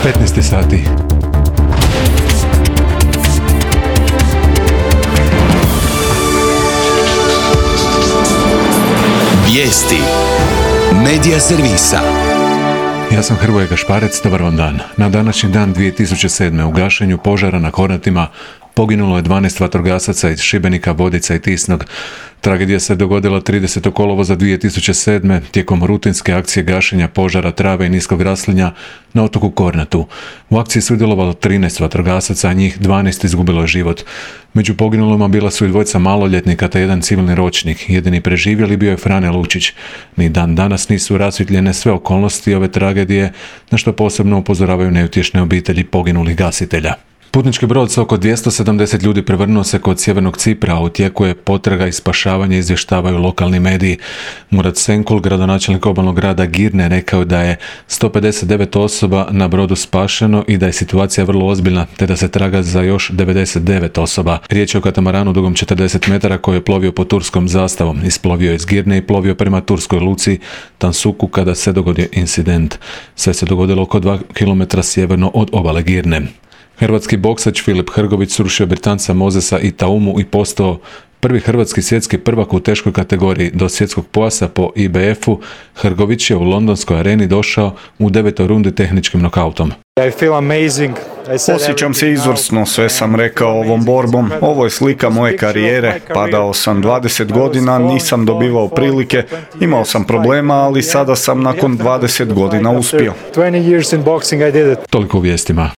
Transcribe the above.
15 sati. Vijesti Medija servisa. Ja sam Hrvoje Gašparec, dobar vam dan. Na današnji dan 2007. u gašenju požara na Kornatima poginulo je 12 vatrogasaca iz Šibenika, Vodica i Tisnog. Tragedija se dogodila 30. kolovoza 2007. tijekom rutinske akcije gašenja požara trave i niskog raslinja na otoku Kornatu. U akciji sudjelovalo 13 vatrogasaca, a njih 12 izgubilo je život. Među poginulima bila su i dvojica maloljetnika te jedan civilni ročnik. Jedini preživjeli bio je Frane Lučić. Ni dan danas nisu rasvjetljene sve okolnosti ove tragedije, na što posebno upozoravaju neutješne obitelji poginulih gasitelja. Putnički brod sa oko 270 ljudi prevrnuo se kod sjevernog Cipra, a u tijeku je potraga i spašavanje, izvještavaju lokalni mediji. Murat Senkul, gradonačelnik obalnog grada Girne, rekao da je 159 osoba na brodu spašeno i da je situacija vrlo ozbiljna, te da se traga za još 99 osoba. Riječ je o katamaranu dugom 40 metara koji je plovio pod turskom zastavom. Isplovio je iz Girne i plovio prema turskoj luci Tansuku kada se dogodio incident. Sve se dogodilo oko 2 km sjeverno od obale Girne. Hrvatski boksač Filip Hrgović srušio Britanca Mozesa i Taumu i postao prvi hrvatski svjetski prvak u teškoj kategoriji. Do svjetskog pojasa po IBF-u Hrgović je u londonskoj areni došao u 9. rundi tehničkim nokautom. Osjećam se izvrsno, sve sam rekao ovom borbom. Ovo je slika moje karijere. Padao sam 20 godina, nisam dobivao prilike, imao sam problema, ali sada sam nakon 20 godina uspio. Toliko u vijestima.